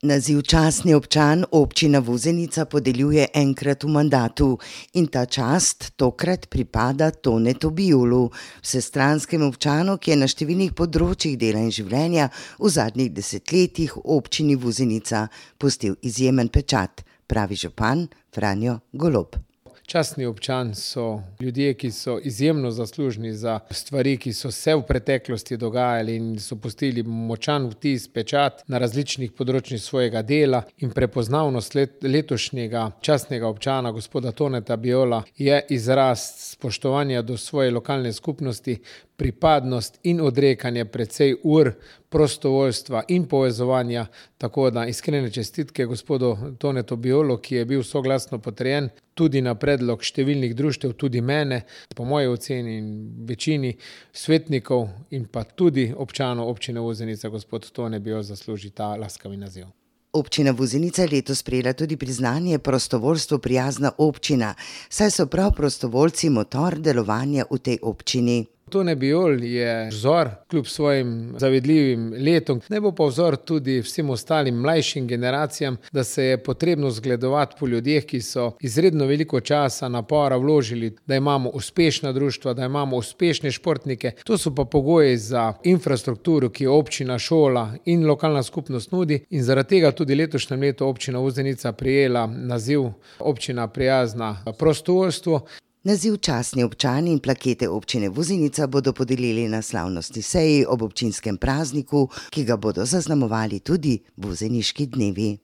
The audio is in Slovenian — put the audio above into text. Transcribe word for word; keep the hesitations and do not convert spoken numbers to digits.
Naziv častni občan občina Vuzenica podeljuje enkrat v mandatu in ta čast tokrat pripada Tonetu Bijolu, vsestranskemu občanu, ki je na številnih področjih dela in življenja v zadnjih desetletjih v občini Vuzenica pustil izjemen pečat, pravi župan Franjo Golob. Častni občan so ljudje, ki so izjemno zaslužni za stvari, ki so se v preteklosti dogajali in so pustili močan vtis, pečat na različnih področjih svojega dela, in prepoznavnost let, letošnjega častnega občana, gospoda Toneta Bijola, je izraz spoštovanja do svoje lokalne skupnosti, pripadnost in odrekanje precej ur prostovoljstva in povezovanja, tako da iskrene čestitke gospodu Tonetu Bijolu, ki je bil soglasno potrjen tudi na predlog številnih društev, tudi mene, po moji oceni in večini svetnikov in pa tudi občanov občine Vuzenica, gospod Tone Bijol zasluži ta laskavi naziv. Občina Vuzenica je letos prejela tudi priznanje prostovoljstvu prijazna občina, saj so prav prostovoljci motor delovanja v tej občini. Tone Bijol je vzor kljub svojim zavidljivim letom. Naj bo pa vzor tudi vsem ostalim mlajšim generacijam, da se je potrebno zgledovati po ljudeh, ki so izredno veliko časa, napora vložili, da imamo uspešna društva, da imamo uspešne športnike. To so pa pogoji za infrastrukturo, ki jo občina, šola in lokalna skupnost nudi, in zaradi tega tudi letošnjem letu občina Vuzenica prejela naziv občina prijazna prostovoljstvu. Naziv častni občan in plakete občine Vuzenica bodo podelili na slavnostni seji ob občinskem prazniku, ki ga bodo zaznamovali tudi vuzeniški dnevi.